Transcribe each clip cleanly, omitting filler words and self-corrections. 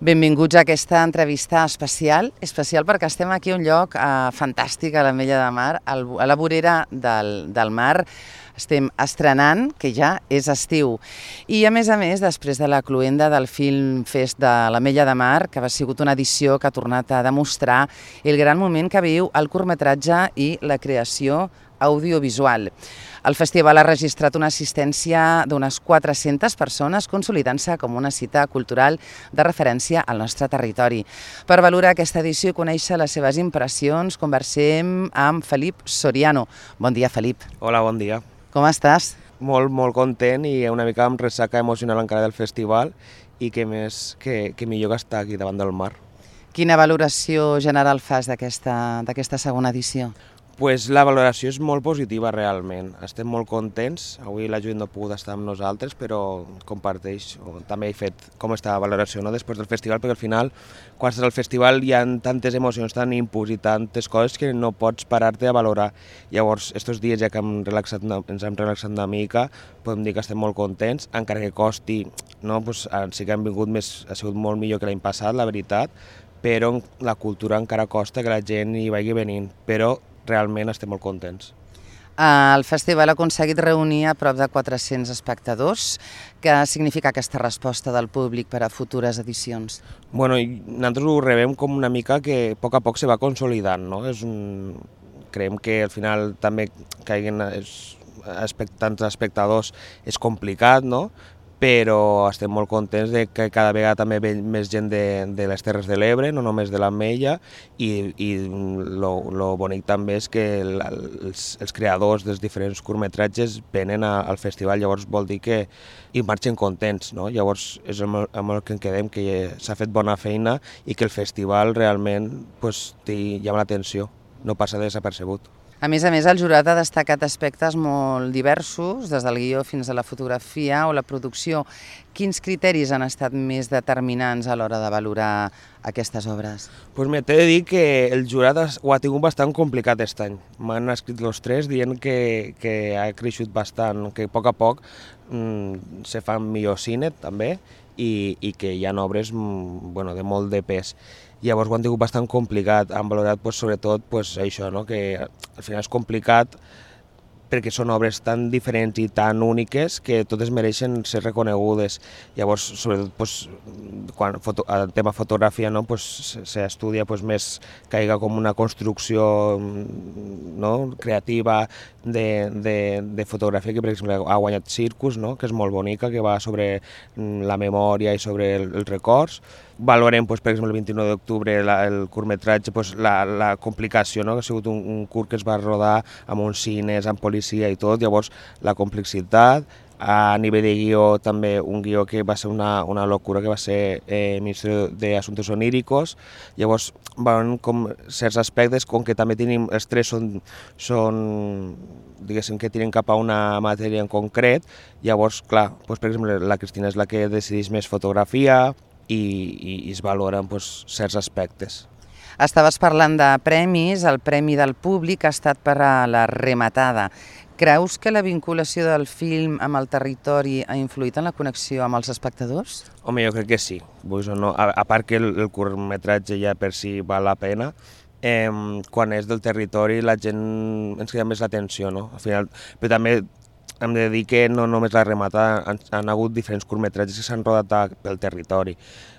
Benvinguts a aquesta entrevista especial perquè estem aquí a un lloc fantàstic a l'Ametlla de Mar, a la vorera del mar. Estem estrenant, que ja és estiu. I a més, després de la cloenda del Film Fest de l'Ametlla de Mar, que ha sigut una edició que ha tornat a demostrar el gran moment que viu el curtmetratge i la creació audiovisual. El festival ha registrat una assistència d'unes 400 persones, consolidant-se com una cita cultural de referència al nostre territori. Per valorar aquesta edició i conèixer les seves impressions, conversem amb Felip Soriano. Bon dia, Felip. Hola, bon dia. Com estàs? Molt content i una mica amb ressaca emocional encara del festival i que millor que estar aquí davant del mar. Quina valoració general fas d'aquesta segona edició? Pues la valoració és molt positiva realment, estem molt contents, avui la Judit no ha pogut estar amb nosaltres però comparteix, també he fet com està la valoració després del festival, perquè al final quan estàs al festival hi ha tantes emocions, tant inputs i tantes coses que no pots parar-te a valorar. Llavors, estos dies ja que ens hem relaxat una mica, podem dir que estem molt contents, encara que costi, no? Pues, sí que han vingut ha sigut molt millor que l'any passat, la veritat, però la cultura encara costa que la gent hi vagi venint, però realment estem molt contents. El festival ha aconseguit reunir a prop de 400 espectadors. Què significa aquesta resposta del públic per a futures edicions? Bueno, nosaltres ho rebem com una mica que a poc se va consolidant, no? Creiem que al final també que hi hagi tants espectadors és complicat, no? Però estem molt contents de que cada vegada també ve més gent de les Terres de l'Ebre, no només de l'Ametlla, i lo bonic també és que els creadors dels diferents curtmetratges venen al festival, llavors vol dir que hi marxen contents, no? Llavors és amb el que en quedem, que s'ha fet bona feina i que el festival realment llama l'atenció, no passa desapercebut. A més, el jurat ha destacat aspectes molt diversos, des del guió fins a la fotografia o la producció. Quins criteris han estat més determinants a l'hora de valorar aquestes obres? Pues t'he de dir que el jurat ho ha tingut bastant complicat aquest any. M'han escrit els tres dient que ha creixut bastant, que a poc se fa millor cine també i que hi ha obres de molt de pes. Llavors ho han tingut bastant complicat, han valorat sobretot això, que al final és complicat perquè són obres tan diferents i tan úniques que totes mereixen ser reconegudes. Llavors, sobretot, quan el tema fotografia s'estudia més que hi ha com una construcció creativa de fotografia que, per exemple, ha guanyat Circus, que és molt bonica, que va sobre la memòria i sobre els records. Valorem, per exemple, el 29 d'octubre el curtmetratge, la complicació, que ha sigut un curt que es va rodar amb uns cines, amb policia i tot, llavors la complexitat. A nivell de guió també un guió que va ser una locura, que va ser Ministeri d'Assumptes Oníricos. Llavors van com certs aspectes, com que també tenim, els tres són diguéssim que tiren cap a una matèria en concret, llavors, clar, per exemple, la Cristina és la que decideix més fotografia i es valoren certs aspectes. Estaves parlant de premis, el premi del públic ha estat per a La Rematada. Creus que la vinculació del film amb el territori ha influït en la connexió amb els espectadors? Home, jo crec que sí. A part que el curtmetratge ja per si val la pena, quan és del territori la gent ens crida més l'atenció, no? Al final, però també hem de dir que no només La Rematada, han hagut diferents curtmetratges que s'han rodat pel territori.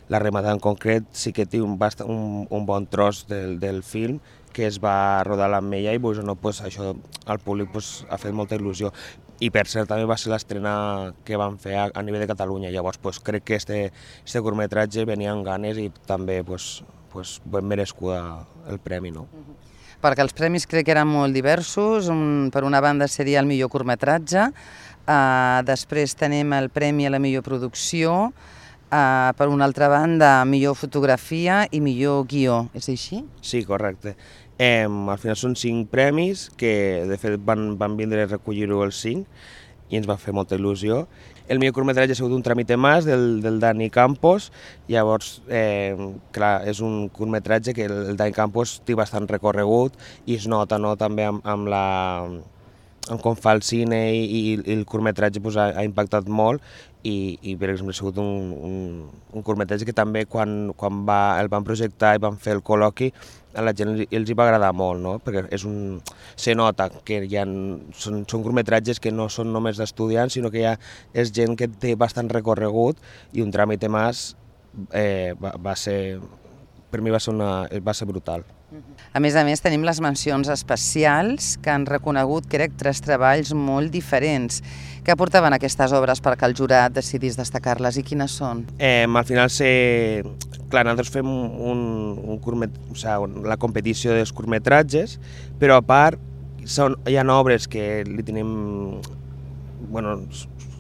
La Rematada en concret sí que té un bon tros del film que es va rodar a l'Ametlla i això al públic ha fet molta il·lusió. I per cert també va ser l'estrena que van fer a nivell de Catalunya, llavors crec que este curtmetratge venia amb ganes i també ben merescuda el premi, no? Perquè els premis crec que eren molt diversos. Per una banda seria el millor curtmetratge, després tenim el premi a la millor producció, per una altra banda millor fotografia i millor guió, és així? Sí, correcte. Al final són 5 premis que de fet van vindre a recollir-ho els 5 i ens va fer molta il·lusió. El millor curtmetratge ha sigut Un tramite más, del Dani Campos. Llavors, clar, és un curtmetratge que el Dani Campos té bastant recorregut i es nota, no?, també amb en com fa el cine i el curtmetratge pues, ha impactat molt i per exemple ha sigut un curtmetratge que també quan el van projectar i van fer el col·loqui a la gent els hi va agradar molt, no? Perquè se nota que són curtmetratges que no són només d'estudiants, sinó que és gent que té bastant recorregut i un Trámite Más per mi va ser brutal. A més, tenim les mencions especials que han reconegut, crec, 3 treballs molt diferents. Què aportaven aquestes obres perquè el jurat decidís destacar-les i quines són? Al final, clar, nosaltres fem la competició dels curtmetratges, però a part hi ha obres que li tenim,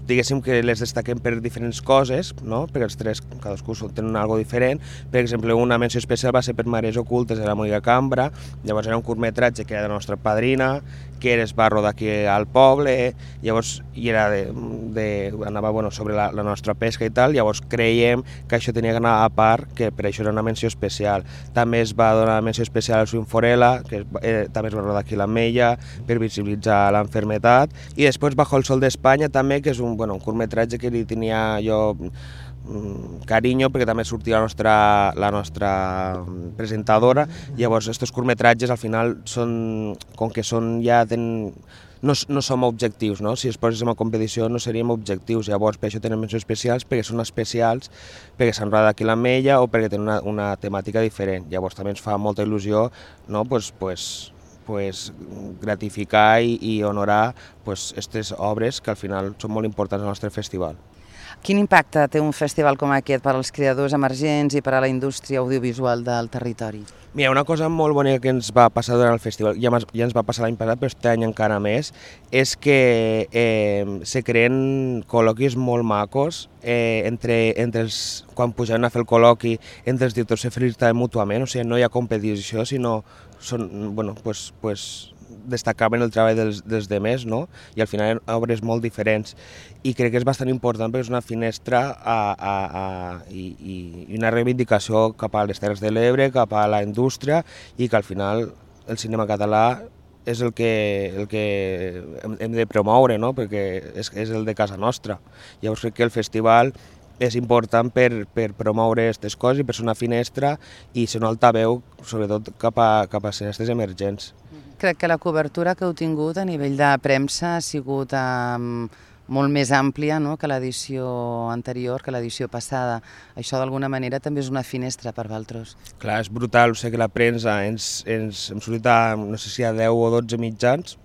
diguéssim que les destaquem per diferents coses, no? Perquè els 3 cadascú tenen una cosa diferent. Per exemple, una menció especial va ser per Mares ocultes de la Mònica Cambra, llavors era un curtmetratge que era de la nostra padrina, que es va rodar aquí al poble, llavors anava sobre la nostra pesca i tal, llavors creiem que això tenia que anar a part, que per això era una menció especial. També es va donar una menció especial al Swing Forela, que també es va rodar aquí a l'Ametlla, per visibilitzar l'enfermetat, i després Bajo el Sol d'Espanya també, que és un curtmetratge que li tenia jo carinyo perquè també sortia la nostra presentadora. Llavors aquests curtmetratges al final com que no som objectius, no? Si es poséssim a competició no seríem objectius, llavors per això tenen mencions especials, perquè són especials, perquè s'han rodat aquí a l'Ametlla o perquè tenen una temàtica diferent. Llavors també ens fa molta il·lusió, no? Gratificar i honorar aquestes obres que al final són molt importants al nostre festival. Quin impacte té un festival com aquest per als creadors emergents i per a la indústria audiovisual del territori? Mira, una cosa molt bonica que ens va passar durant el festival, ja ens va passar l'any passat, però aquest any encara més, és que se creen col·loquis molt macos quan pujaven a fer el col·loqui, entre els directors se felicitaven mútuament, o sigui, no hi ha competició, sinó destacaven el treball dels demés, no? I al final eren obres molt diferents. I crec que és bastant important perquè és una finestra i una reivindicació cap a les Terres de l'Ebre, cap a la indústria, i que al final el cinema català és el que hem de promoure, no? Perquè és el de casa nostra. Llavors crec que el festival és important per promoure aquestes coses i per ser una finestra i ser un altaveu, sobretot cap a cineastes emergents. Crec que la cobertura que heu tingut a nivell de premsa ha sigut molt més àmplia, no?, que l'edició anterior, que l'edició passada. Això d'alguna manera també és una finestra per vosaltres. Clar, és brutal, sé que la premsa hem sortit a, no sé si a 10 o 12 mitjans,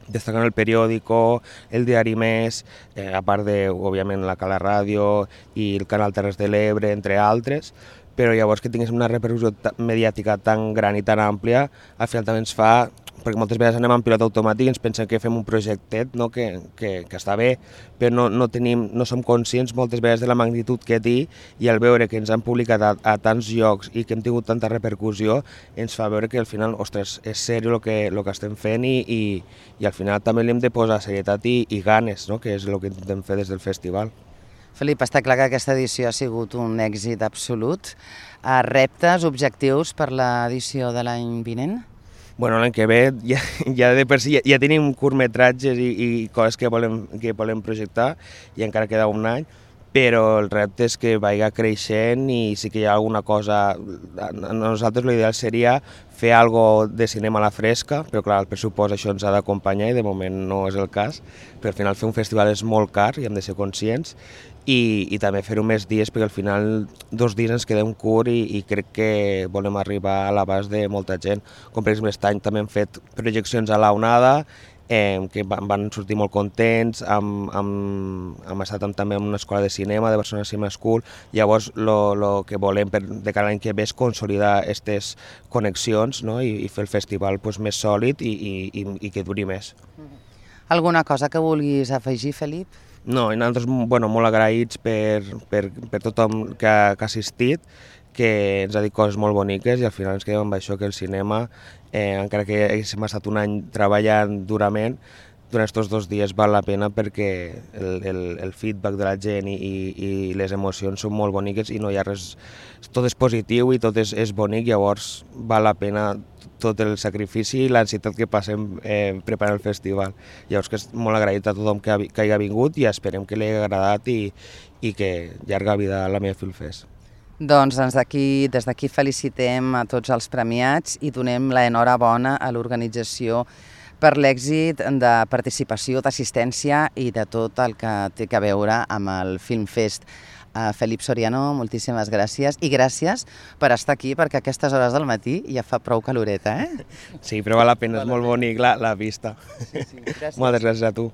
destacant el periòdico, el diari Més, a part de, òbviament, la Cala Ràdio i el Canal Terres de l'Ebre, entre altres, però llavors que tinguéssim una repercussió mediàtica tan gran i tan àmplia, al final també ens fa, perquè moltes vegades anem en pilot automàtic i ens pensem que fem un projectet, no? que està bé, però no som conscients moltes vegades de la magnitud que té, i al veure que ens han publicat a tants llocs i que hem tingut tanta repercussió, ens fa veure que al final, ostres, és seriós el que estem fent i al final també li hem de posar serietat i ganes, no? Que és el que intentem fer des del festival. Felip, està clar que aquesta edició ha sigut un èxit absolut. Reptes, objectius per l'edició de l'any vinent? Bueno, l'any que ve ja de per si ja tenim curtmetratges i coses que volem projectar i encara queda un any, però el repte és que vagi creixent i sí que hi ha alguna cosa. A nosaltres l'ideal seria fer alguna cosa de cinema a la fresca, però clar, el pressupost això ens ha d'acompanyar i de moment no és el cas, però al final fer un festival és molt car i hem de ser conscients, i també fer-ho més dies, perquè al final 2 dies ens quedem curt i crec que volem arribar a l'abast de molta gent. Com per exemple aquest any també hem fet projeccions a la Onada, que van sortir molt contents, hem estat també en una escola de cinema, de Barcelona Cinema School. Llavors el que volem de cara a l'any que ve és consolidar aquestes connexions, no? I fer el festival més sòlid i que duri més. Alguna cosa que vulguis afegir, Felip? No, i nosaltres molt agraïts per tothom que ha assistit, que ens ha dit coses molt boniques i al final ens quedem amb això, que el cinema, encara que haguéssim estat un any treballant durament, durant aquests 2 dies val la pena perquè el feedback de la gent i les emocions són molt boniques i no hi ha res, tot és positiu i tot és bonic, llavors val la pena tot el sacrifici i l'ansietat que passem preparant el festival. Llavors que és molt agraït a tothom que hagi vingut i esperem que li hagi agradat i que llarga vida a la meva Filmfest. Doncs des d'aquí felicitem a tots els premiats i donem l'enhorabona a l'organització per l'èxit de participació, d'assistència i de tot el que té a veure amb el Filmfest. Felip Soriano, moltíssimes gràcies i gràcies per estar aquí perquè a aquestes hores del matí ja fa prou caloreta, eh? Sí, però val la pena, és molt bonic la vista. Sí, gràcies. Moltes gràcies a tu.